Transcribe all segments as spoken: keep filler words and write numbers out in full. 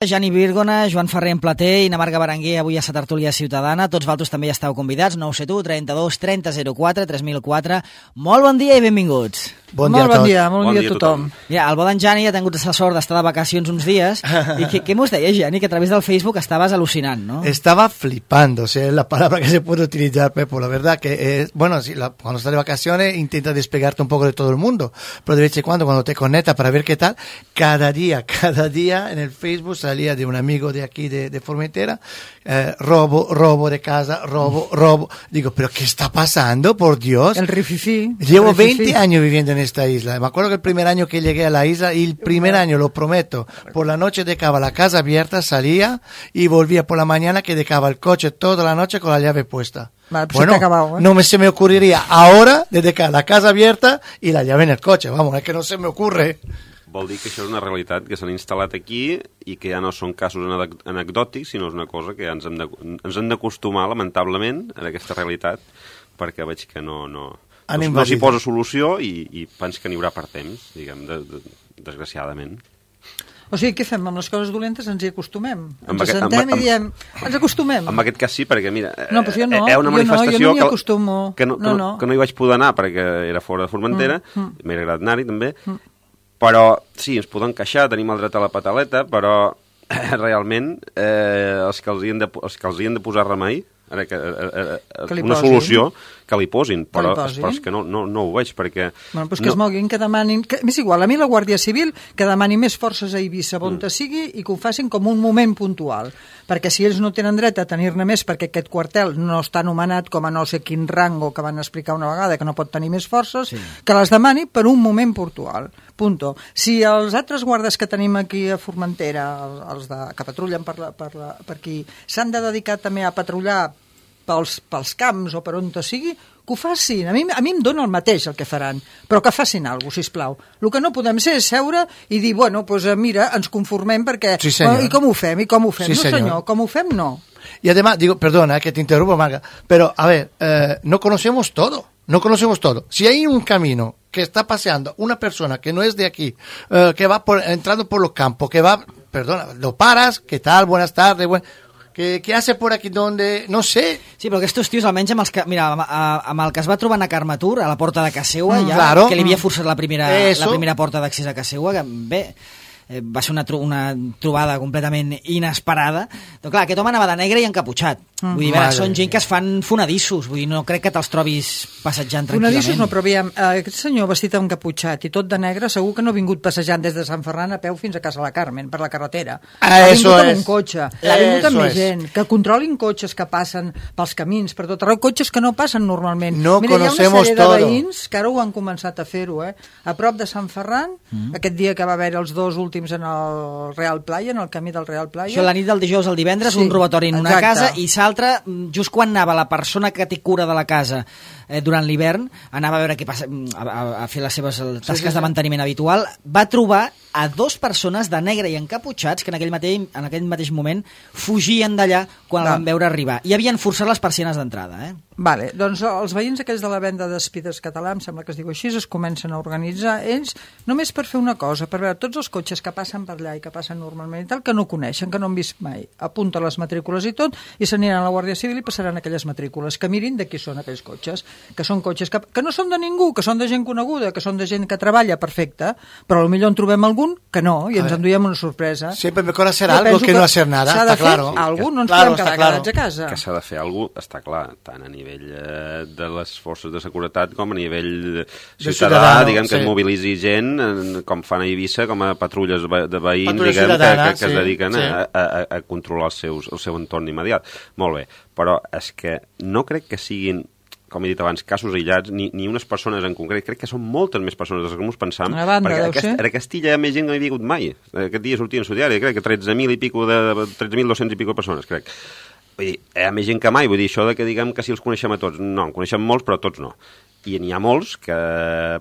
Jani Virgona, Joan Ferrer en Plater i na Marga Berenguer avui a la tertúlia ciutadana. Tots vosaltres també hi esteu convidats. nou set u, trenta-dos, trenta, zero quatre, tres mil quatre. Molt bon dia i benvinguts. Bon dia, molt bon dia, molt bon dia a tothom. Mira, el bo d'en Jani ha tingut la sort d'estar de vacacions uns dies. I què, què mos deies, Jani? Que a través del Facebook estabas alucinant, ¿no? Estaba flipando, o sea, es la palabra que se puede utilizar, Pepo. La verdad que, es, bueno, sí, la, cuando estás de vacaciones intenta despegarte un poco de todo el mundo, pero de vez en cuando, cuando te conectas para ver qué tal, cada día, cada día en el Facebook salía de un amigo de aquí, de, de Formentera, eh, robo, robo de casa, robo, robo. Digo, ¿pero qué está pasando, por Dios? El rififi. Llevo el rififi. veinte años viviendo en esta isla. Me acuerdo que el primer año que llegué a la isla, y el primer año, lo prometo, por la noche dejaba la casa abierta, salía y volvía por la mañana que dejaba el coche toda la noche con la llave puesta. Vale, pues bueno, se acabado, ¿eh? no me, se me ocurriría ahora de dejar la casa abierta y la llave en el coche. Vamos, es que no se me ocurre. Vol dir que això és una realitat que s'han instal·lat aquí i que ja no són casos anecdòtics, sinó és una cosa que ja ens hem de, ens hem d'acostumar, lamentablement, a aquesta realitat, perquè veig que no, no, no, no s'hi posa solució i, i pens que n'hi haurà per temps, diguem, de, de, desgraciadament. O sigui, què fem? Amb les coses dolentes ens hi acostumem. Ens aquest, sentem amb, i diem, ens acostumem. En aquest cas sí, perquè mira, no, però jo no, hi ha una manifestació jo no, jo no m'hi acostumo. Que, que, no, no, que, no. que no hi vaig poder anar perquè era fora de Formentera, mm, mm. m'he agradat anar-hi també, mm. però sí, ens podem queixar, tenim el dret a la pataleta, però eh, realment eh, els, que els, hi de, els que els hi han de posar remei, ara que, eh, eh, que una posin. solució, que li posin, però, li posin. però és que no, no, no ho veig, perquè... Bueno, doncs que no... es moguin, que demanin... Que, és igual, a mi la Guàrdia Civil que demani més forces a Eivissa, on mm. sigui, i que ho facin com un moment puntual. Perquè si ells no tenen dret a tenir-ne més, perquè aquest quartel no està anomenat com a no sé quin rango que van explicar una vegada, que no pot tenir més forces, sí. que les demani per un moment puntual. Punto. Si els altres guardes que tenim aquí a Formentera, els de, que patrullen per, la, per, la, per aquí, s'han de dedicar també a patrullar pels, pels camps o per on sigui, que ho facin. A mi, a mi em dona el mateix el que faran, però que facin alguna cosa, sisplau. El que no podem ser és seure i dir, bueno, doncs mira, ens conformem perquè... Sí, senyor. I com ho fem? I com ho fem? Sí, no, senyor. senyor, com ho fem, no. Y además, digo, perdona eh, que te interrumpo, Marga, pero a ver, eh, no conocemos todo, no conocemos todo. Si hay un camino que está paseando una persona que no es de aquí, eh, que va por, entrando por los campos, que va, perdona, lo paras, ¿qué tal? Buenas tardes, buen... ¿Qué, ¿Qué hace por aquí? ¿Dónde? No sé. Sí, però aquests tios, almenys amb, els que, mira, amb, amb el que es va trobar a Carmatur, a la porta de casa seva, ja, claro. que li havia forçat la primera, Eso. la primera porta d'accés a casa seva, que bé... va ser una, tro una trobada completament inesperada. Però clar, aquest home anava de negre i encaputxat. Mm. Vull dir, veure, són gent que es fan fonadissos. Vull dir, no crec que te'ls trobis passejant tranquil·lament. Fonadissos no, però aviam, eh, aquest senyor vestit encaputxat i tot de negre segur que no ha vingut passejant des de Sant Ferran a peu fins a Casa la Carmen, per la carretera. Ah, ha vingut amb es. un cotxe, ha vingut amb més gent, que controlin cotxes que passen pels camins, per tot arreu, cotxes que no passen normalment. No Mira, conocemos hi ha una sèrie todo. de veïns que ara ho han començat a fer-ho, eh? A prop de Sant Ferran, mm. aquest dia que va haver els dos últims en el Real Playa, en el camí del Real Playa. Això la nit del dijous al divendres, sí, un robatori en una exacte. casa, i l'altre, just quan anava la persona que té cura de la casa eh, durant l'hivern, anava a veure què passa, a, a, a fer les seves tasques sí, sí, sí. de manteniment habitual, va trobar a dos persones de negre i encaputxats que en aquell mateix, en aquell mateix moment fugien d'allà quan el van veure arribar. I havien forçat les persianes d'entrada, eh? Vale, doncs els veïns aquells de la venda d'Espides Català, em sembla que es diu així, es comencen a organitzar ells només per fer una cosa, per veure tots els cotxes que passen per allà i que passen normalment i tal, que no coneixen, que no han vist mai. Apunta les matrícules i tot, i s'aniran a la Guàrdia Civil i passaran aquelles matrícules, que mirin de qui són aquells cotxes, que són cotxes que, que no són de ningú, que són de gent coneguda, que són de gent que treballa perfecte, però potser en trobem algun que no, i ens enduiem una sorpresa. Siempre mejor hacer algo que, que no hacer nada, s'ha de està fer claro. Algú, no ens claro, podem quedar claro. quedats a casa. Que s'ha de fer alguna cosa, està clar, tant a nivell eh, de les forces de seguretat com a nivell ciutadà, ciutadà, diguem, que sí. es mobilitzi gent, eh, com fan a Eivissa, com a patrulles de veïns, Patrulles diguem, que, que, que sí, es dediquen sí. a, a, a controlar els seus, el seu entorn immediat. Molt bé, però és que no crec que siguin, com he dit abans, casos aïllats, ni, ni unes persones en concret. Crec que són moltes més persones des que ens pensam, a banda, perquè deu aquest, ser. a Castilla hi ha més gent que no hi ha vingut mai. Aquest dia sortien a diari, crec que tretze mil i pico de, tretze mil dos-cents i pico persones, crec. Vull dir, hi ha més gent que mai, vull dir, això de que diguem que si els coneixem a tots, no, en coneixem molts, però tots no. I n'hi ha molts que,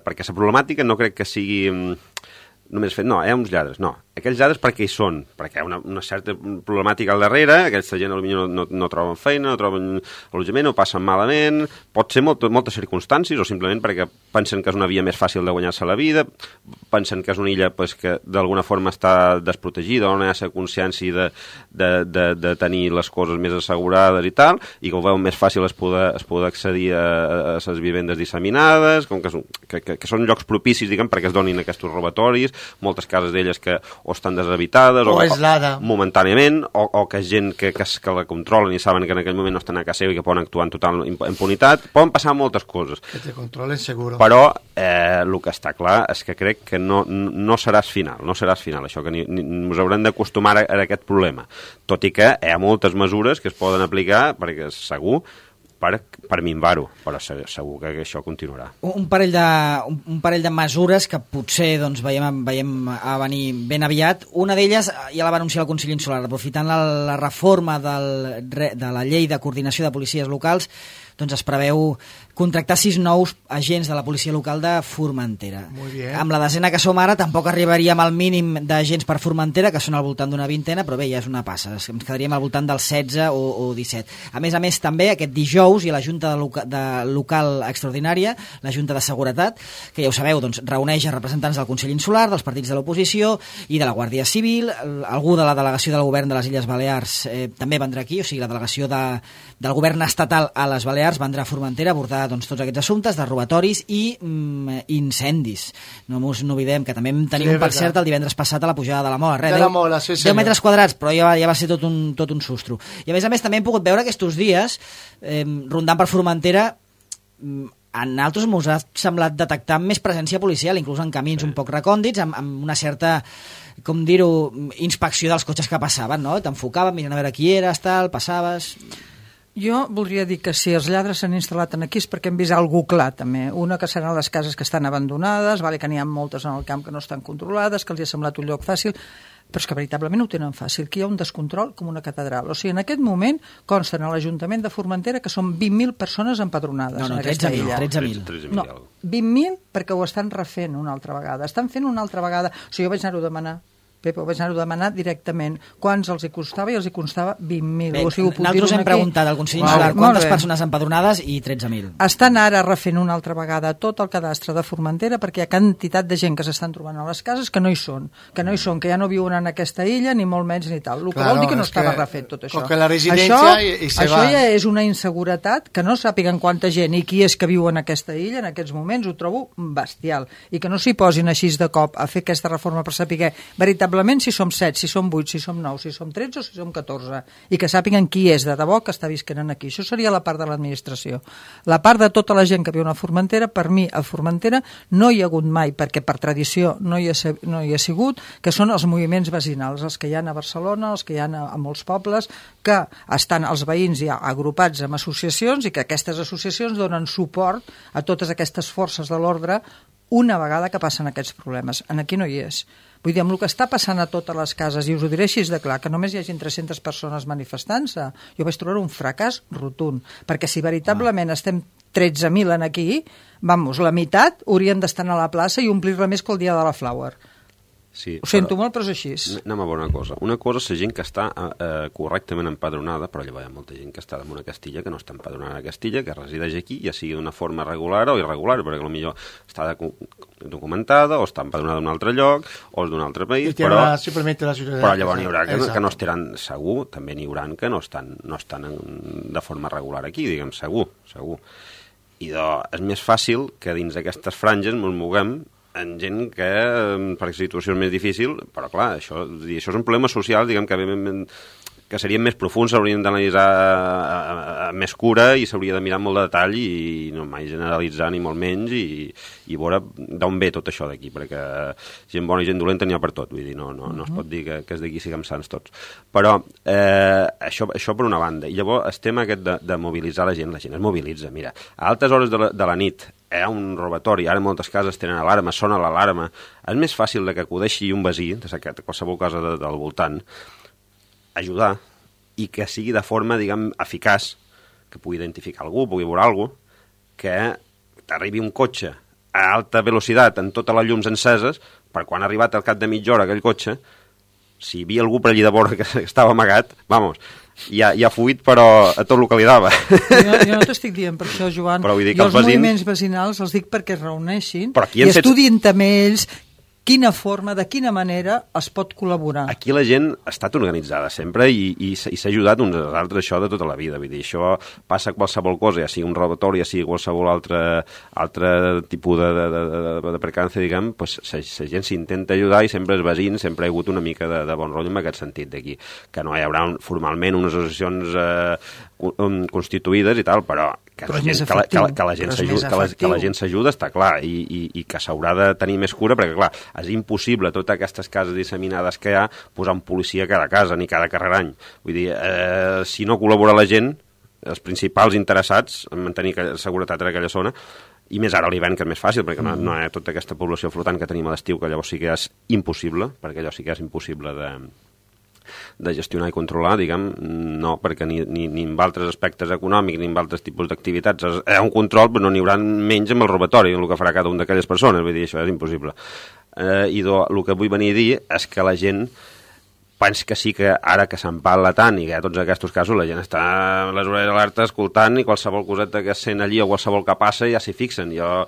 perquè la problemàtica no crec que sigui només fet, no, hi ha uns lladres, no. aquells lladres per què hi són? Perquè hi ha una, una certa problemàtica al darrere, aquesta gent potser no, no, no troben feina, no troben allotjament, no passen malament, pot ser molt, moltes circumstàncies, o simplement perquè pensen que és una via més fàcil de guanyar-se la vida, pensen que és una illa pues, que d'alguna forma està desprotegida, o no hi ha la consciència de, de, de, de tenir les coses més assegurades i tal, i que ho veuen més fàcil es poder, es poder accedir a, a les vivendes disseminades, com que, que, que, que són llocs propicis, diguem, perquè es donin aquests robatoris, moltes cases d'elles que o estan deshabitades o, o, aislada. o momentàniament, o, o que gent que, que, que la controlen i saben que en aquell moment no estan a casa seva i que poden actuar en total impunitat. Poden passar moltes coses. Que te controlen seguro. Però eh, el que està clar és que crec que no, no seràs final, no seràs final, això que ni, ni, us haurem d'acostumar a, a aquest problema. Tot i que hi ha moltes mesures que es poden aplicar, perquè segur, per, per minvar-ho, però segur que això continuarà. Un parell de, un, un parell de mesures que potser doncs, veiem, veiem a venir ben aviat. Una d'elles ja la va anunciar el Consell Insular, aprofitant la, la reforma del, de la llei de coordinació de policies locals, doncs es preveu contractar sis nous agents de la policia local de Formentera. Muy bien. Amb la desena que som ara tampoc arribaríem al mínim d'agents per Formentera, que són al voltant d'una vintena, però bé, ja és una passa. Ens quedaríem al voltant dels setze o, o disset. A més a més, també, aquest dijous hi ha la Junta de, loca, de Local Extraordinària, la Junta de Seguretat, que ja ho sabeu, doncs, reuneix a representants del Consell Insular, dels partits de l'oposició i de la Guàrdia Civil. Algú de la delegació del govern de les Illes Balears eh, també vendrà aquí, o sigui, la delegació de, del govern estatal a les Balears vendrà a Formentera a abordar doncs, tots aquests assumptes de robatoris i mm, incendis. No ens n'oblidem, que també vam tenir sí, un, per cert, el divendres passat a la pujada de la Mola. Res, de la Mola, sí, deu metres quadrats, però ja va, ja va ser tot un, tot un sustro. I a més a més també hem pogut veure aquests dies, eh, rondant per Formentera, en altres m'us ha semblat detectar més presència policial, inclús en camins un poc recòndits, amb, amb una certa, com dir-ho, inspecció dels cotxes que passaven, no? T'enfocaven, mirant a veure qui eres, tal, passaves... Jo voldria dir que si els lladres s'han instal·lat aquí és perquè hem vist algú clar, també. Una que seran les cases que estan abandonades, vale, que n'hi ha moltes en el camp que no estan controlades, que els ha semblat un lloc fàcil, però és que veritablement ho tenen fàcil, que hi ha un descontrol com una catedral. O sigui, en aquest moment consten a l'Ajuntament de Formentera que són vint mil persones empadronades no, no, en aquesta illa. tretze mil. No, vint mil perquè ho estan refent una altra vegada. Estan fent una altra vegada. O sigui, jo vaig anar-ho a demanar. Pep, ho vaig anar-ho a demanar directament. Quants els hi costava? I els hi costava vint mil. Bé, o sigui, nosaltres hem preguntat al Consell Insular quantes persones empadronades i tretze mil. Estan ara refent una altra vegada tot el cadastre de Formentera perquè hi ha quantitat de gent que s'estan trobant a les cases que no hi són, que no hi són, que ja no viuen en aquesta illa, ni molt menys ni tal. El que claro, vol dir que no estava que, refet tot això. Que la residència això, i, i se això va. ja és una inseguretat, que no sàpiguen quanta gent i qui és que viu en aquesta illa en aquests moments, ho trobo bestial. I que no s'hi posin així de cop a fer aquesta reforma per saber veritablement si som set, si som vuit, si som nou, si som tretze o si som catorze, i que sàpiguen qui és de debò que està visquent aquí. Això seria la part de l'administració. La part de tota la gent que viu a Formentera, per mi a Formentera no hi ha hagut mai, perquè per tradició no hi ha, no hi ha sigut, que són els moviments vecinals, els que hi ha a Barcelona, els que hi ha a, a molts pobles, que estan els veïns ja agrupats en associacions i que aquestes associacions donen suport a totes aquestes forces de l'ordre una vegada que passen aquests problemes. En aquí no hi és. Vull dir, amb el que està passant a totes les cases, i us ho diré així de clar, que només hi hagi tres-centes persones manifestant-se, jo vaig trobar un fracàs rotund, perquè si veritablement ah. estem tretze mil en aquí, vamos, la meitat haurien d'estar a la plaça i omplir-la més que el dia de la Flower. Sí, ho sento molt, però és així. Anem a veure una cosa. Una cosa és la gent que està eh, correctament empadronada, però llavors hi ha molta gent que està en una Castilla que no està empadronada a Castilla, que resideix aquí, ja sigui d'una forma regular o irregular, perquè potser està documentada o està empadronada en un altre lloc o és d'un altre país, però, la, la però llavors n'hi haurà que, que no estaran segur, també n'hi haurà que no estan, no estan en, de forma regular aquí, diguem, segur, segur. I doncs és més fàcil que dins d'aquestes franges ens moguem en gent que, per situació és més difícil, però clar, això, això és un problema social, diguem, que, que serien més profuns, s'haurien d'analitzar amb més cura i s'hauria de mirar molt de detall i no mai generalitzar ni molt menys i, i veure d'on ve tot això d'aquí, perquè gent bona i gent dolenta n'hi ha per tot, vull dir, no, no, no es pot dir que, que és d'aquí siguem sants tots. Però eh, això, això per una banda. I llavors el tema aquest de, de mobilitzar la gent, la gent es mobilitza, mira, a altes hores de la, de la nit hi ha un robatori, ara moltes cases tenen alarma, sona l'alarma, és més fàcil de que acudeixi un veí, de qualsevol cosa de, del voltant, ajudar, i que sigui de forma, diguem, eficaç, que pugui identificar algú, pugui veure algú, que t'arribi un cotxe a alta velocitat, amb totes les llums enceses, per quan ha arribat al cap de mitja hora aquell cotxe, si hi havia algú per allí de vora que estava amagat, vamos, ja, ja ha fuit, però a tot el que li dava. Jo, jo no t'estic dient per això, Joan. Però vull dir que jo els els veïns... moviments vecinals els dic perquè es reuneixin i i fet... estudien també ells quina forma, de quina manera es pot col·laborar. Aquí la gent ha estat organitzada sempre i, i, i s'ha ajudat uns als altres, això de tota la vida. Vull dir, això passa a qualsevol cosa, ja sigui un robatori, ja sigui qualsevol altre, altre tipus de, de, de, de, de percance, diguem, pues, la, la gent s'intenta ajudar i sempre els veïns, sempre ha hagut una mica de, de bon rotllo en aquest sentit d'aquí. Que no hi haurà un, formalment unes associacions eh, constituïdes i tal, però que la gent, que la, que la, que la gent s'ajuda, que, la, que la gent s'ajuda està clar, i, i, i que s'haurà de tenir més cura, perquè clar, és impossible totes aquestes cases disseminades que hi ha posar un policia a cada casa ni cada carrer any. Vull dir, eh, si no col·labora la gent, els principals interessats en mantenir seguretat en aquella zona, i més ara a l'hivern, que és més fàcil, perquè no, no hi ha tota aquesta població flotant que tenim a l'estiu, que llavors sí que és impossible, perquè allò sí que és impossible de de gestionar i controlar, diguem, no, perquè ni, ni, ni amb altres aspectes econòmics ni amb altres tipus d'activitats hi ha un control, però no n'hi haurà menys amb el robatori, el que farà cada un d'aquelles persones, vull dir, això és impossible. Eh, I do, el que vull venir a dir és que la gent pensa que sí que ara que se'n parla tant i que hi ha tots aquests casos, la gent està a les orelles alerta escoltant i qualsevol coseta que sent allí o qualsevol que passa ja s'hi fixen. Jo...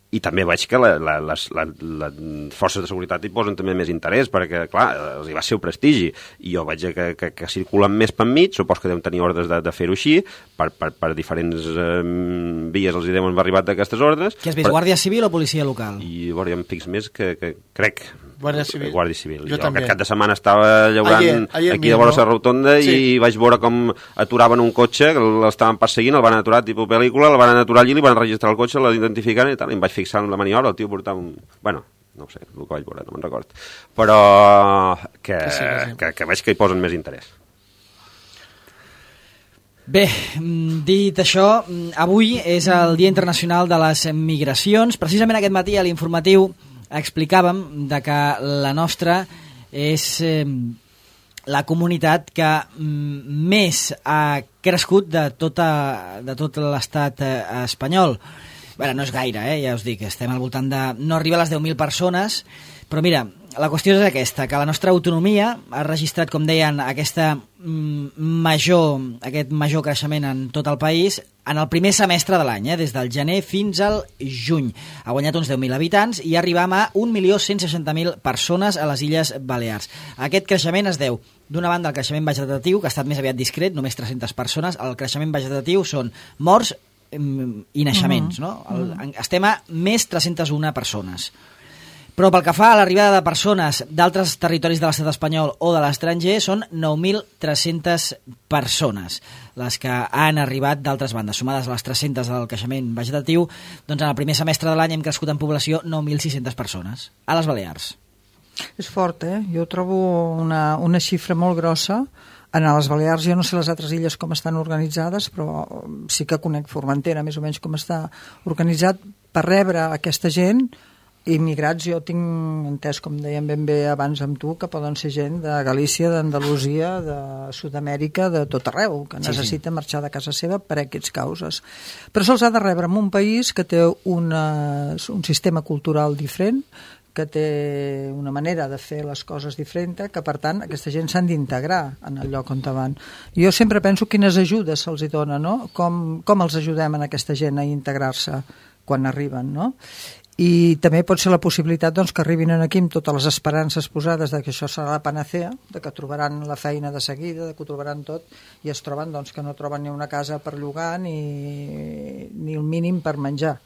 I també veig que la, la, les, la, les forces de seguretat hi posen també més interès, perquè, clar, els hi va ser un prestigi. I jo veig que, que, que circulen més per enmig, supos que deuen tenir ordres de, de fer-ho així, per, per, per diferents eh, vies els hi deuen haver arribat d'aquestes ordres. Què has vist, però... Guàrdia Civil o policia local? I veure, em fix més que, que crec... Guàrdia Civil. Guàrdia Civil. Jo, jo també. aquest cap de setmana estava llaurant ayer, ayer aquí de vora la rotonda sí. I vaig veure com aturaven un cotxe, que l'estaven perseguint, el van aturar tipus pel·lícula, el van aturar allí, li van registrar el cotxe, l'identificant i tal, i em vaig fixar en la maniobra, el tio portava un... Bueno, no ho sé, el que vaig veure, no me'n record. Però que, que, sí, que, sí. que, que veig que hi posen més interès. Bé, dit això, avui és el Dia Internacional de les Migracions. Precisament aquest matí a l'informatiu explicàvem de que la nostra és eh, la comunitat que més ha crescut de, tota, de tot l'estat eh, espanyol. Bé, no és gaire, eh? Ja us dic, estem al voltant de... No arriba a les deu mil persones, però mira, la qüestió és aquesta, que la nostra autonomia ha registrat, com deien, aquesta major, aquest major creixement en tot el país en el primer semestre de l'any, eh? Des del gener fins al juny. Ha guanyat uns deu mil habitants i arribam a un milió cent seixanta mil persones a les Illes Balears. Aquest creixement es deu, d'una banda, al creixement vegetatiu, que ha estat més aviat discret, només tres-centes persones. El creixement vegetatiu són morts i naixements, no? El, estem a més tres-centes una persones. Però pel que fa a l'arribada de persones d'altres territoris de l'estat espanyol o de l'estranger, són nou mil tres-centes persones les que han arribat d'altres bandes. Sumades a les tres-centes del creixement vegetatiu, doncs en el primer semestre de l'any hem crescut en població nou mil sis-centes persones a les Balears. És fort, eh? Jo trobo una, una xifra molt grossa. En les Balears, jo no sé les altres illes com estan organitzades, però sí que conec Formentera, més o menys com està organitzat per rebre aquesta gent. Immigrats, jo tinc entès, com dèiem ben bé abans amb tu, que poden ser gent de Galícia, d'Andalusia, de Sud-amèrica, de tot arreu, que necessita sí, sí. marxar de casa seva per aquests causes. Però se'ls ha de rebre en un país que té una, un sistema cultural diferent, que té una manera de fer les coses diferent, que per tant aquesta gent s'han d'integrar en el lloc on van. Jo sempre penso quines ajudes se'ls dona, no? Com, com els ajudem a aquesta gent a integrar-se quan arriben, no? I també pot ser la possibilitat doncs, que arribin aquí amb totes les esperances posades de que això serà la panacea, de que trobaran la feina de seguida, de que ho trobaran tot, i es troben doncs, que no troben ni una casa per llogar ni, ni el mínim per menjar.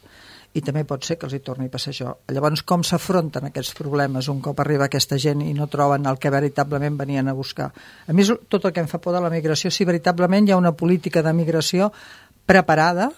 I també pot ser que els hi torni a passar això. Llavors, com s'afronten aquests problemes un cop arriba aquesta gent i no troben el que veritablement venien a buscar? A mi, tot el que em fa por de la migració, si veritablement hi ha una política de migració preparada,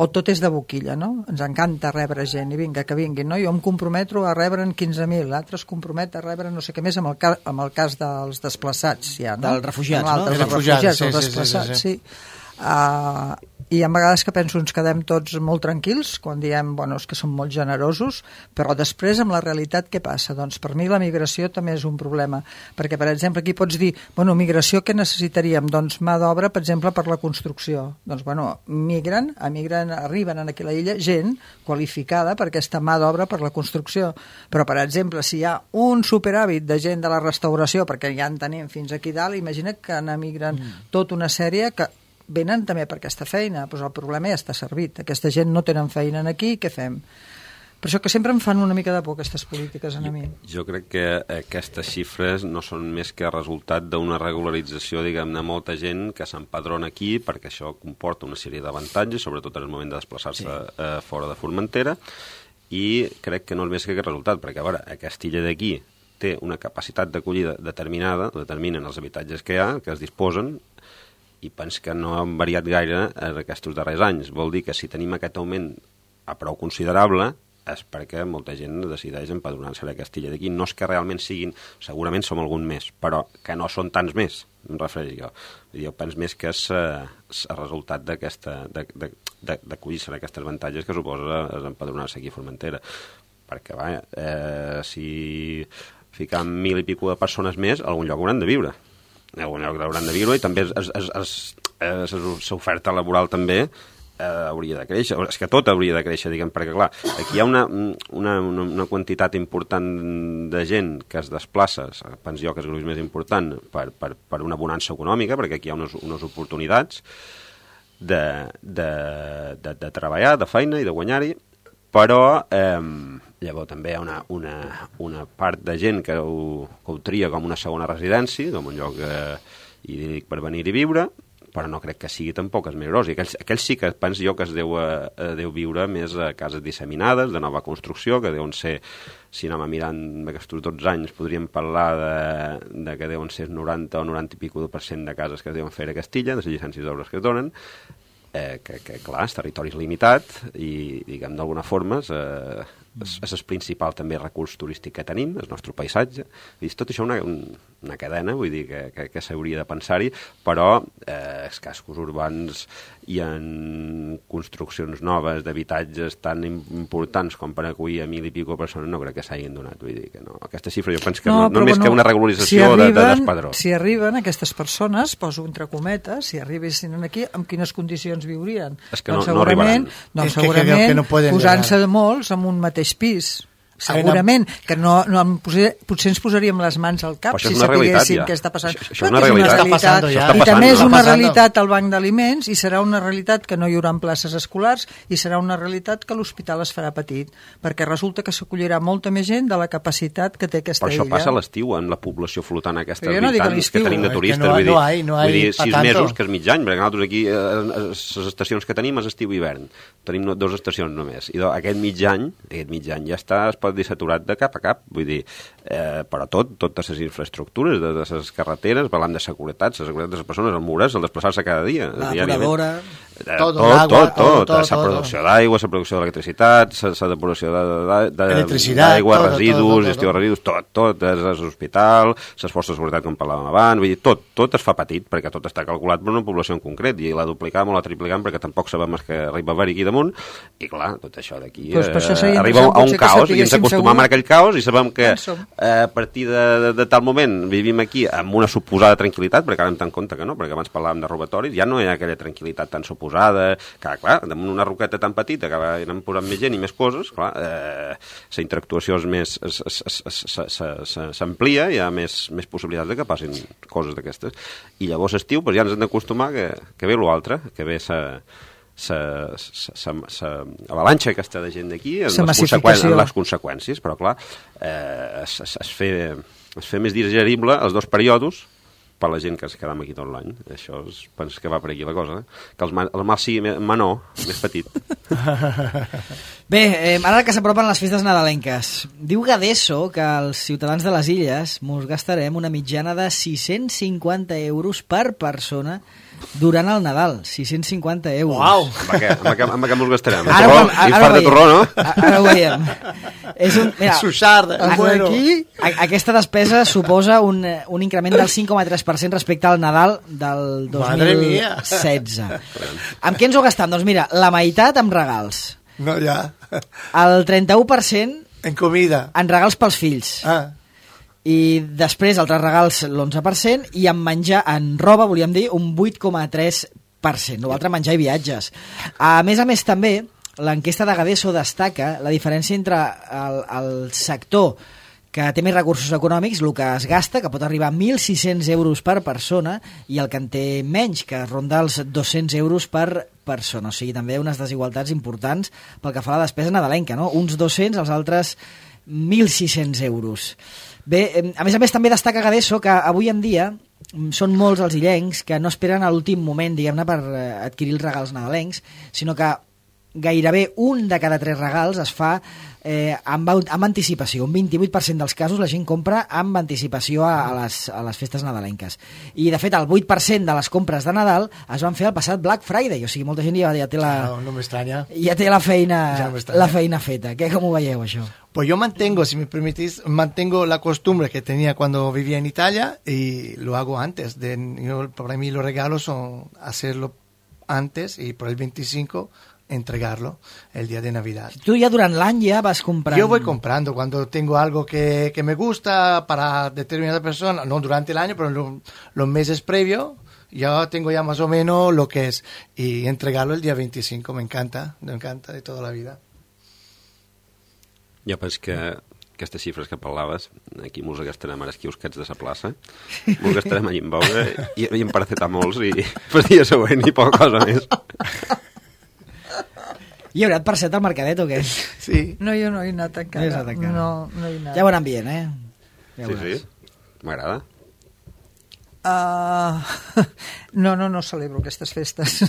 o tot és de boquilla, no? Ens encanta rebre gent, i vinga, que vinguin, no? Jo em comprometo a rebre'n quinze mil, l'altre es compromet a rebre no sé què més, amb el, ca amb el cas dels desplaçats, ja, no? Dels refugiats, no? Dels refugiats, els desplaçats, sí. sí, sí. Uh, I hi ha vegades que penso ens quedem tots molt tranquils quan diem bueno, és que som molt generosos, però després amb la realitat què passa? Doncs per mi la migració també és un problema, perquè per exemple aquí pots dir, bueno, migració què necessitaríem? Doncs mà d'obra, per exemple, per la construcció. Doncs bueno, migren, emigren, arriben aquí a la illa gent qualificada per aquesta mà d'obra per la construcció. Però per exemple, si hi ha un superàvit de gent de la restauració, perquè ja en tenim fins aquí dalt, imagina't que n'emigren mm. tota una sèrie que venen també per aquesta feina, doncs el problema ja està servit. Aquesta gent no tenen feina aquí, què fem? Per això que sempre em fan una mica de por aquestes polítiques a mi. Jo crec que aquestes xifres no són més que resultat d'una regularització, diguem-ne, molta gent que s'empadrona aquí, perquè això comporta una sèrie d'avantatges, sobretot en el moment de desplaçar-se sí. eh, fora de Formentera, i crec que no és més que aquest resultat, perquè, a veure, aquesta illa d'aquí té una capacitat d'acollida determinada, determinen els habitatges que hi ha, que es disposen, i pens que no han variat gaire en aquests darrers anys. Vol dir que si tenim aquest augment a prou considerable és perquè molta gent decideix empadronar-se a aquesta illa d'aquí. No és que realment siguin, segurament som algun més, però que no són tants més, em refereixo jo. Jo penso més que és el resultat d'aquesta d'acollir-se a aquestes avantatges que suposa empadronar-se aquí a Formentera. Perquè, va, eh, si ficam mil i pico de persones més, a algun lloc hauran de viure. A algun lloc hauran de viure i també l'oferta laboral també eh, hauria de créixer. És que tot hauria de créixer, diguem, perquè, clar, aquí hi ha una, una, una quantitat important de gent que es desplaça, penso jo que és el més important, per, per, per una bonança econòmica, perquè aquí hi ha unes, unes oportunitats de, de, de, de treballar, de feina i de guanyar-hi, però eh, llavors també hi ha una, una, una part de gent que ho, que ho tria com una segona residència, com un lloc eh, idíl·lic per venir i viure, però no crec que sigui tampoc els més gros. I aquells, aquells sí que penso jo que es deu, eh, deu viure més a cases disseminades, de nova construcció, que deuen ser, si anem mirant aquests dotze anys, podríem parlar de, de que deuen ser noranta o noranta i pico per cent de cases que es deuen fer a Castilla, de les llicències d'obres que es donen, eh, que, que, clar, el territori és limitat i, diguem, d'alguna forma eh, és, és el principal també recurs turístic que tenim, el nostre paisatge. I tot això una, una cadena, vull dir, que, que, que s'hauria de pensar-hi, però eh, els cascos urbans i en construccions noves d'habitatges tan importants com per acollir a mil i pico persones no crec que s'hagin donat. Vull dir que no. Aquesta xifra jo penso que no, no, no més bueno, que una regularització si arriben, de, de d'espadró. Si arriben aquestes persones, poso entre cometes, si arribessin aquí, amb quines condicions viurien? És que doncs no, segurament, no doncs segurament que, que, que no posant-se de molts en un mateix pis. Segurament, que no, no potser, potser ens posaríem les mans al cap si sapiguéssim ja. Què està passant. Això, això és una realitat. Una realitat. Ja. I també és una realitat al banc d'aliments i serà una realitat que no hi haurà places escolars i serà una realitat que l'hospital es farà petit, perquè resulta que s'acollirà molta més gent de la capacitat que té aquesta illa. Però això illa. passa a l'estiu, en la població flotant aquesta no habitants que tenim de turistes. No, vull dir, no hay, no hay vull dir sis tanto. mesos, que és mig any, perquè nosaltres aquí, eh, les estacions que tenim és estiu i hivern. Tenim dues estacions només. I aquest mig any, aquest mig any ja està, es pot dir saturat de cap a cap, vull dir, eh, però tot, totes les infraestructures, de, de les carreteres, parlant de seguretat, la seguretat de les persones, el mures, el desplaçar-se cada dia. La depuradora... Eh, tot, tot, tot, tot, la producció d'aigua, la producció d'electricitat, la depuració d'aigua, residus, gestió de residus, tot, tot, l'hospital, les forces de seguretat, com parlàvem abans, vull dir, tot, tot es fa petit, perquè tot està calculat per una població en concret, i la duplicam o la triplicam perquè tampoc sabem que arriba a haver aquí damunt, i clar, tot això d'aquí pues eh, arriba a un caos, i ens acostumam a aquell caos, i sabem que eh, a partir de, de, de tal moment vivim aquí amb una suposada tranquil·litat, perquè ara em tant compte que no, perquè abans parlàvem de robatoris, ja no hi ha aquella tranquil·litat tan suposada, que clar, damunt una roqueta tan petita que anem posant més gent i més coses, clar, eh, la interactuació és més s'amplia, hi ha més, més possibilitats de que passin coses d'aquestes, i llavors estiu pues, ja ens hem d'acostumar que, que ve l'altre, que ve sa l'avalanxa aquesta de gent d'aquí en, en les conseqüències, però clar eh, es, es, es, fe, es fe més digerible els dos períodes per la gent que es quedam aquí tot l'any. Això es, penso que va per aquí la cosa, eh? Que el mal, el mal sigui menor, més petit. Bé, eh, ara que s'apropen les festes nadalenques, diu Gadeso que els ciutadans de les illes mos gastarem una mitjana de sis-cents cinquanta euros per persona durant el Nadal, sis-cents cinquanta euros. Uau! Amb què, amb què, amb què mos gastarem? Ara, torró, ara, ara, infart de torró, no? Ara ho veiem. És un, mira, Suixarda, Els bueno. d'aquí... a, aquesta despesa suposa un, un increment del cinc coma tres per cent respecte al Nadal del dos Madre mil mia. setze. Amb què ens ho gastam? Doncs mira, la meitat amb regals, No, ja. el trenta-u per cent En comida. en regals pels fills, Ah, i després altres regals l'onze per cent, i en menjar, en roba, volíem dir, un vuit coma tres per cent. L'altre, menjar i viatges. A més a més, també, l'enquesta de Gadeso destaca la diferència entre el, el sector que té més recursos econòmics, el que es gasta, que pot arribar a mil sis-cents euros per persona, i el que en té menys, que ronda els dos-cents euros per persona. O sigui, també unes desigualtats importants pel que fa a la despesa nadalenca, no? Uns dos-cents, els altres mil sis-cents euros. Bé, a més a més, també destaca Gadeso que avui en dia són molts els illencs que no esperen a l'últim moment, diguem-ne, per adquirir els regals nadalencs, sinó que gairebé un de cada tres regals es fa eh, amb, amb anticipació. Un vint-i-vuit per cent dels casos la gent compra amb anticipació a, a, les, a les festes nadalenques. I, de fet, el vuit per cent de les compres de Nadal es van fer el passat Black Friday. O sigui, molta gent ja, ja té la... no, no m'estranya. Ja té la feina, Ja no m'estranya. la feina feta. Què, com ho veieu, això? Pues yo mantengo, si me permitís, mantengo la costumbre que tenía cuando vivía en Italia y lo hago antes. De, yo, para mí los regalos son hacerlo antes y por el veinticinco entregarlo el día de Navidad. Tu ja durant l'any ja vas comprant... Yo voy comprando cuando tengo algo que, que me gusta para determinada persona, no durante el año, pero en lo- los meses previos, ya tengo ya más o menos lo que es. Y entregarlo el día veinticinco, me encanta, me encanta de toda la vida. Jo penso que aquestes xifres que parlaves, aquí mos gastarem ara quiosquets de la plaça, mos gastarem allà en beure i, i en paracetamols i per dia següent i poca cosa més. Hi haurà per set al mercadet o què? Sí. No, jo no he anat No hi encara. has anat encara. No, no he anat. Ja veuran bien, eh? Ja Sí, veuràs. sí, m'agrada. Uh, no, no, no celebro aquestes festes.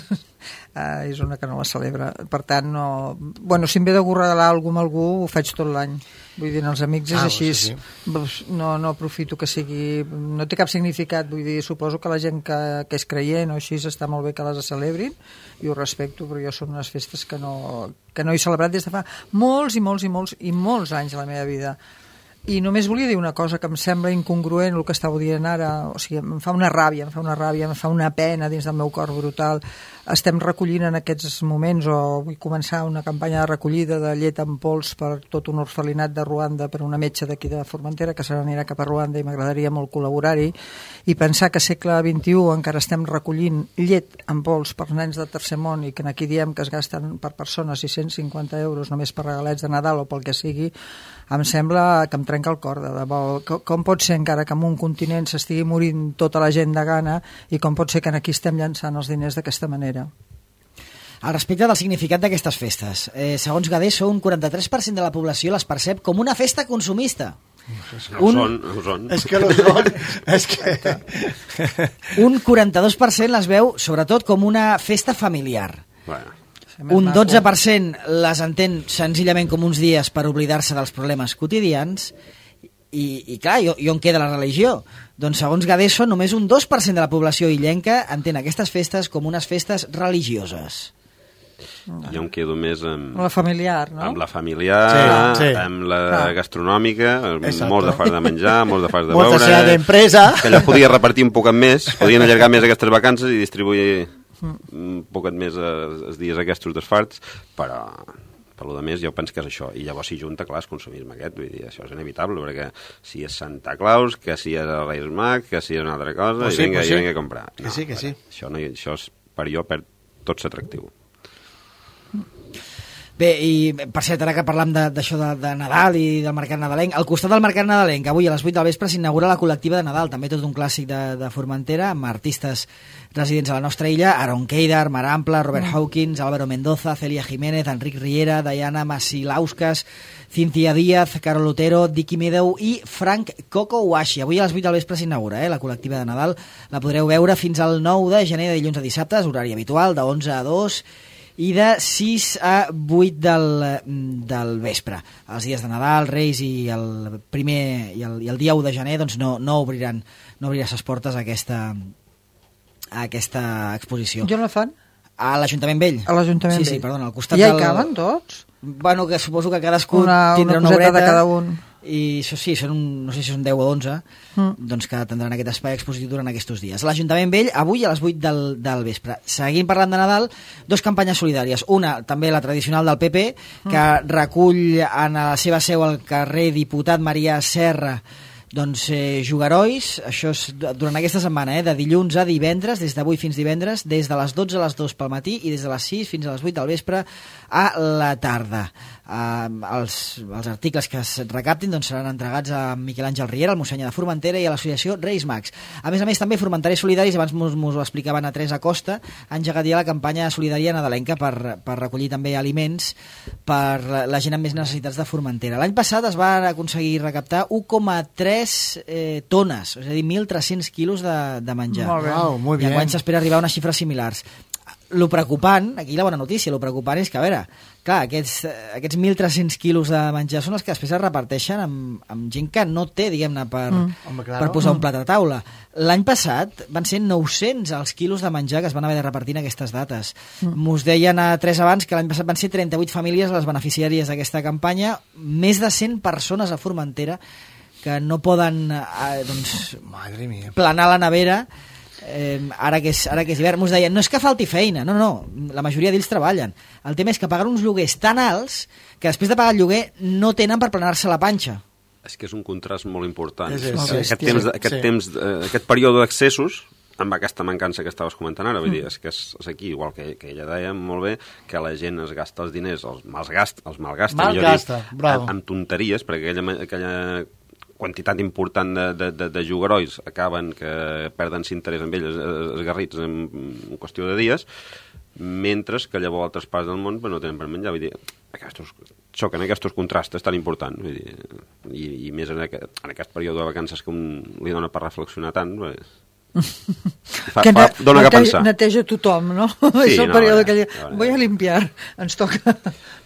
Uh, és una que no la celebra. Per tant, no... Bueno, si em ve de regalar alguna amb algú, ho faig tot l'any. Vull dir, els amics és Ah, així. sí, Sí. No, no aprofito que sigui... No té cap significat. Vull dir, suposo que la gent que, que és creient o així està molt bé que les celebrin, i ho respecto, però jo són unes festes que no, que no he celebrat des de fa molts i molts i molts i molts anys de la meva vida. I només volia dir una cosa que em sembla incongruent el que estàveu dient ara, o sigui, em fa una ràbia, em fa una ràbia, em fa una pena dins del meu cor brutal. Estem recollint en aquests moments, o vull començar una campanya de recollida de llet en pols per tot un orfelinat de Ruanda, per una metge d'aquí de Formentera que se n'anirà cap a Ruanda, i m'agradaria molt col·laborar-hi, i pensar que segle vint-i-u encara estem recollint llet en pols per nens de tercer món, i que aquí diem que es gasten per persona sis-cents cinquanta euros només per regalets de Nadal o pel que sigui, em sembla que em trenca el cor, de debò. Com pot ser encara que en un continent s'estigui morint tota la gent de gana, i com pot ser que aquí estem llançant els diners d'aquesta manera? Al respecte del significat d'aquestes festes, eh, segons Gadeso, un quaranta-tres per cent de la població les percep com una festa consumista. Ho Un- són, ho són. Es que los son, es que... Un quaranta-dos per cent les veu, sobretot, com una festa familiar. Bueno, Un dotze per cent les entén senzillament com uns dies per oblidar-se dels problemes quotidians. I, i clar, i, i on queda la religió? Doncs segons Gadeso, només un dos per cent de la població illenca entén aquestes festes com unes festes religioses. jo em quedo més amb, La familiar, no? amb la familiar, Sí, sí. amb la Ah. gastronòmica, Exacto. molts de fars de menjar, molts de fars de Molta beure... cena d'empresa. Que allò podia repartir un poquet més, podien allargar més aquestes vacances i distribuir un poquet més els, els dies aquests dels farts, però per lo de més jo penso que és això, i llavors s'hi junta, clar, el consumisme aquest, vull dir, això és inevitable, perquè si és Santa Claus, que si és el Reis Mag, que si és una altra cosa, Pues i sí, vinga, pues i sí. vinga a comprar. Que sí, que sí. Això, no, això és, per jo perd tot l'atractiu. Bé, i per cert, ara que parlam de- d'això de, de Nadal i del mercat nadalenc, al costat del mercat nadalenc, avui a les vuit del vespre s'inaugura la col·lectiva de Nadal, també tot un clàssic de, de Formentera, amb artistes residents a la nostra illa, Aaron Keidar, Mar Ampla, Robert Hawkins, Álvaro Mendoza, Celia Jiménez, Enric Riera, Diana Masilauskas, Cynthia Díaz, Carol Otero, Dicky Meadow i Frank Coco Washi. Avui a les vuit del vespre s'inaugura, eh, la col·lectiva de Nadal. La podreu veure fins al nou de gener, de dilluns a dissabtes, horari habitual, de onze a dos, i de sis a vuit del, del vespre. Els dies de Nadal, Reis i el primer i el, i el dia u de gener doncs no, no obriran no obrirà ses portes a aquesta, a aquesta exposició. Jo no fan? A l'Ajuntament Vell. A l'Ajuntament sí, Sí, Vell. perdona, al costat Ja hi del... caben tots? bueno, que suposo que cadascú una, tindrà una una coseta horeta. de cada un. I això sí, són un, no sé si són deu o onze, mm. doncs que tindran aquest espai expositiu durant aquests dies. L'Ajuntament Vell, avui a les vuit del, del vespre. Seguint parlant de Nadal, dos campanyes solidàries. Una, també la tradicional del P P, que mm. recull en la seva seu al carrer Diputat Marià Serra doncs eh, jugarois, això és durant aquesta setmana, eh, de dilluns a divendres, des d'avui fins divendres, des de les dotze a les dues pel matí i des de les sis fins a les vuit del vespre a la tarda. Uh, els, els articles que es recaptin doncs, seran entregats a Miquel Àngel Riera, al Mossènyer de Formentera i a l'associació Reis Mags. A més a més, també Formentaris Solidaris, abans mos, mos ho explicaven a Teresa Costa, ha engegat ja la campanya solidària nadalenca per, per recollir també aliments per la, la gent amb més necessitats de Formentera. L'any passat es va aconseguir recaptar u coma tres eh, tones, és a dir, mil tres-cents quilos de, de menjar. Molt bé. Wow, muy I bien. enguany s'espera arribar a unes xifres similars. Lo preocupant, aquí la bona notícia, lo preocupant és que, a veure, clar, aquests, aquests mil tres-cents quilos de menjar són els que després es reparteixen amb, amb gent que no té, diguem-ne, per, Mm. Home, claro. per posar un plat a taula. L'any passat van ser nou-cents els quilos de menjar que es van haver de repartir en aquestes dates. Mm. Mos deien a tres abans que l'any passat van ser trenta-vuit famílies les beneficiàries d'aquesta campanya, més de cent persones a Formentera que no poden eh, doncs, Madre mía. planar la nevera. Eh, ara, que és, ara que és hivern, mos deien, no és que falti feina, no, no, la majoria d'ells treballen. El tema és que paguen uns lloguers tan alts que després de pagar el lloguer no tenen per planar-se la panxa. És que és un contrast molt important. És, és, aquest, sí, temps, sí, aquest, sí. temps, eh, aquest període d'accessos, amb aquesta mancança que estaves comentant ara, vull dir, és que és, és aquí, igual que, que ella deia molt bé, que la gent es gasta els diners, els malgasta, els malgasta, millor Malgasta, dit, bravo. amb, amb tonteries, perquè aquella, aquella quantitat important de, de, de, de jugarois acaben que perden l'interès amb ells esgarrits en, en qüestió de dies, mentre que llavors altres parts del món no tenen per menjar. Vull dir, aquestos, xoquen aquests contrastes tan importants. Vull dir, i, i més en aquest, en aquest període de vacances que un li dona per reflexionar tant, pues, fa, que fa, dona que neteja, pensar. neteja tothom, no? Sí, és el no, període no, que... no, no. Vull a limpiar. Ens toca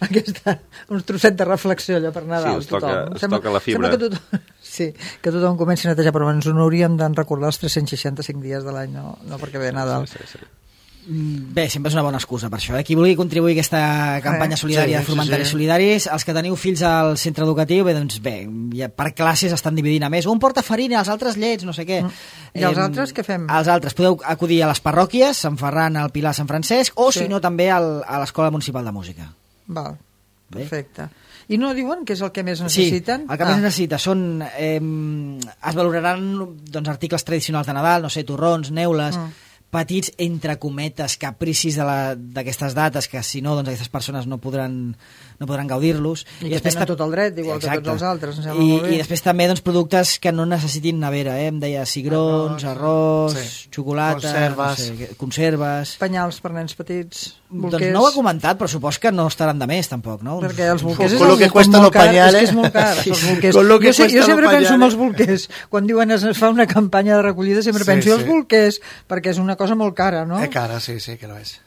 aquesta, un trosset de reflexió allò per Nadal. Sí, ens toca- tothom. ens toca la fibra. Sembla que tothom, sí, que tothom comenci a netejar, però ens ho hauríem de recordar els tres-cents seixanta-cinc dies de l'any, no, no perquè ve Nadal. Sí, sí, sí. Bé, sempre és una bona excusa per això. Eh? Qui vulgui contribuir a aquesta campanya Eh, solidària sí, de Formentaris sí, sí. Solidaris, els que teniu fills al centre educatiu, bé, doncs bé, ja per classes estan dividint a més. Un porta farina, els altres llets, no sé què. I els altres què fem? Els altres podeu acudir a les parròquies, Sant Ferran, al Pilar, Sant Francesc, o Sí. si no també al, a l'Escola Municipal de Música. Val, Bé. perfecte. I no diuen que és el que més Sí, necessiten? el que més necessita són... Eh, es valoraran doncs, articles tradicionals de Nadal, no sé, torrons, neules... Mm. petits, entre cometes, capricis d'aquestes dates, que si no, doncs aquestes persones no podran, no podran gaudir-los. I, I que tenen tot el dret, igual Exacte. que tots els altres, em sembla I, molt bé. I després també doncs, productes que no necessitin nevera, eh? Em deia cigrons, arròs, sí. xocolata, Conserves. no sé, conserves... Penyals per nens petits, Doncs bolquers... no ho ha comentat, però supos que no estaran de més, tampoc, no? Perquè els bolquers és Con lo que algo cuestan molt los car, pañales. és que és molt car, Sí, els sí. bolquers. Con lo que jo, sé, jo cuestan sempre los penso en pañales. els bolquers. Quan diuen es fa una campanya de recollida, sempre Sí, penso sí. els bolquers, perquè és una cosa molt cara, no? Es cara, sí, sí, que lo es.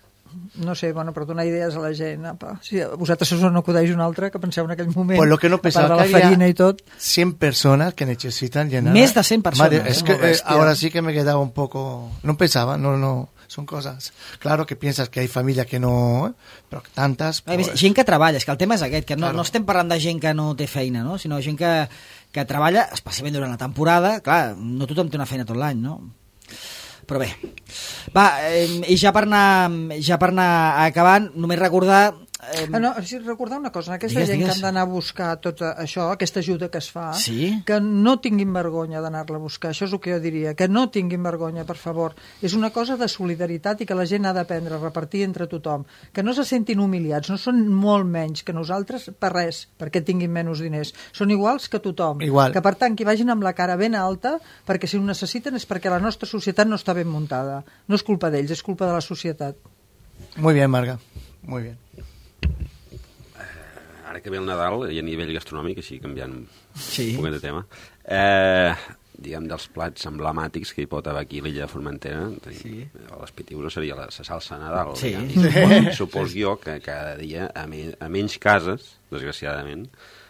No sé, bueno, per donar idees a la gent. Apa. Si a vosaltres us no acudeix un altre, que penseu en aquell moment, Pues lo que no a part pensaba de la que había farina i tot. cien personas que necesitan llenar. Més de cent persones, Madre, es eh? que Molt eh, bèstia. ahora sí que me quedaba un poco. No pensaba, no, no. Son cosas. Claro que piensas que hay familias que no. ¿eh? Pero tantas. A més, Pues, gent que treballa, és que el tema és aquest, que no, Claro. no estem parlant de gent que no té feina, no? Sinó gent que, que treballa, especialment durant la temporada, clar, no tothom té una feina tot l'any, no? Però bé, va, eh, i ja per anar, ja per anar acabant, només recordar... Eh, Ah, no, sí, recordar una cosa, aquesta Digues, gent digues. que han d'anar a buscar tot això, aquesta ajuda que es fa, Sí? que no tinguin vergonya d'anar-la a buscar, això és el que jo diria, que no tinguin vergonya, per favor. És una cosa de solidaritat i que la gent ha d'aprendre a repartir entre tothom, que no se sentin humiliats, no són molt menys que nosaltres per res, perquè tinguin menys diners. Són iguals que tothom. Igual. Que per tant, que vagin amb la cara ben alta, perquè si ho necessiten és perquè la nostra societat no està ben muntada. No és culpa d'ells, és culpa de la societat. Muy bien, Marga. Muy bien. Ara que ve el Nadal, i a nivell gastronòmic, així canviant Sí. un poquet de tema, eh, diguem, dels plats emblemàtics que hi pot haver aquí a l'illa de Formentera, Sí. les pitius seria la, la salsa de Nadal. Sí. diguem. Supos jo que cada dia, a, me, a menys cases, desgraciadament,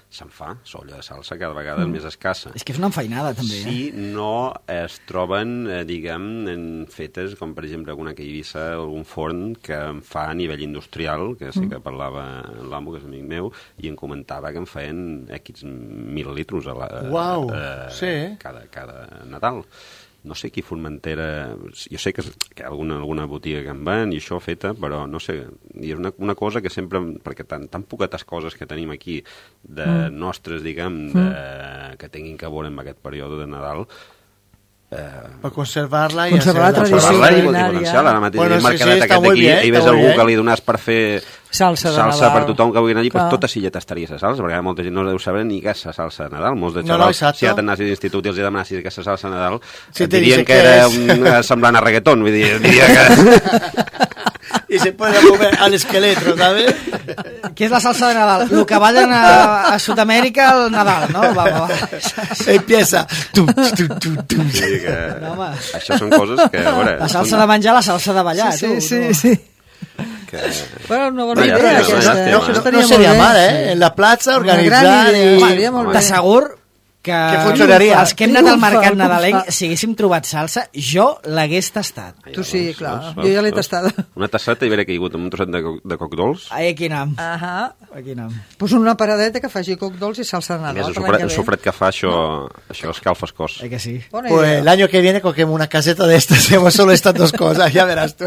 se'n fa, s'olla de salsa cada vegada mm. més escassa. És que és una enfeinada, també. Si eh? no es troben, eh, diguem, en fetes, com per exemple alguna que Eivissa, algun forn que en fa a nivell industrial, que sí que parlava l'amo, que és amic meu, i em comentava que en feien X mil litros a la, Uau, eh, sí. cada, cada Nadal. No sé qui Formentera... Jo sé que, que hi ha alguna, alguna botiga que en van i això feta, però no sé... I és una, una cosa que sempre... Perquè tan, tan poquetes coses que tenim aquí de mm. nostres, diguem, de, mm. que tinguin que veure en aquest període de Nadal... Eh, per conservar-la i conservar la tradició culinària. Ara mateix bueno, sí, sí, aquest aquí, bien, hi ves algú que li donàs per fer salsa, salsa per tothom que vulgui anar allí, pues tota silla t'estaries a salsa, perquè molta gent no deu saber ni què és la salsa de Nadal. Molts de xavals, no, no, si ja t'anassis d'institut i els demanassis què és la salsa de Nadal, sí, et dirien que era un, semblant a reggaeton, vull dir, diria que... I se puede comer al esqueleto, ¿sabes? Què és la salsa de Nadal? El que ballen a, a Sud-amèrica al Nadal, no? Va, va. Empieza. Tum, tum, tum, tum. Sí, que... no, això són coses que... A veure, la salsa són... de menjar, la salsa de ballar, sí, tu. Sí, no? sí, sí. Que... Bueno, una bona no, idea, ja, aquesta. No, no, no seria mal, eh? En la plaça, organitzar... I... T'assegur que, que funcionaria. Els que hem anat al mercat nadalenc, si haguéssim trobat salsa, jo l'hagués tastat. Ai, tu sí, clar, veus, veus, jo ja l'he tastada. Una tasseta i hauré caigut amb un trosset de, de coc dolç. Ai, aquí anem. Uh -huh. Aquí anem. Pues una paradeta que faci coc dolç i salsa de Nadal. Més, el, sofret, el sofret que fa, això, no. això escalfa el cos. Eh que sí. Pues el año que viene cogemos una caseta de estas, hemos solo estas dos cosas, ja veràs tu.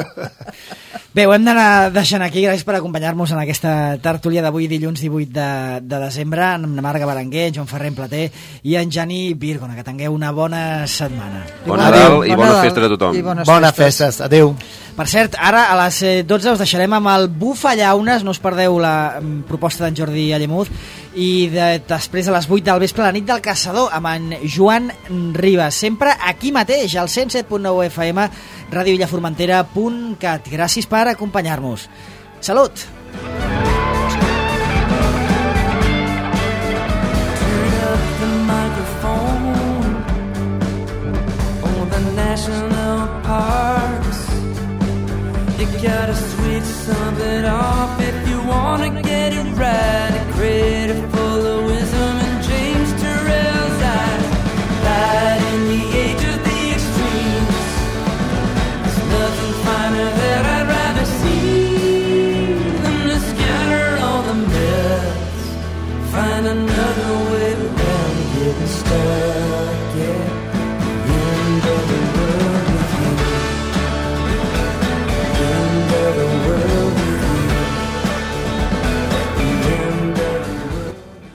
Bé, ho hem d'anar deixant aquí. Gràcies per acompanyar-nos en aquesta tertúlia d'avui, dilluns divuit de, de desembre, amb Marga Berenguer, en Joan Ferrer en Plater i en Jani Virgona. Que tingueu una bona setmana. Bon Nadal i bona festa a tothom. Bones festes. Adéu. Per cert, ara a les dotze us deixarem amb el Bufallaunes, no us perdeu la um, proposta d'en Jordi Allemuz, i de, després a les vuit del vespre la nit del caçador amb en Joan Ribas, sempre aquí mateix al cent set punt nou F M, ràdio illa formentera punt cat. Gràcies per acompanyar-nos. Salut! You gotta switch something off if you wanna get it right. A creative full of wisdom and James Turrell's eyes. Light in the age of the extremes. There's nothing finer that I'd rather see than to scatter all the myths. Find another way around getting started.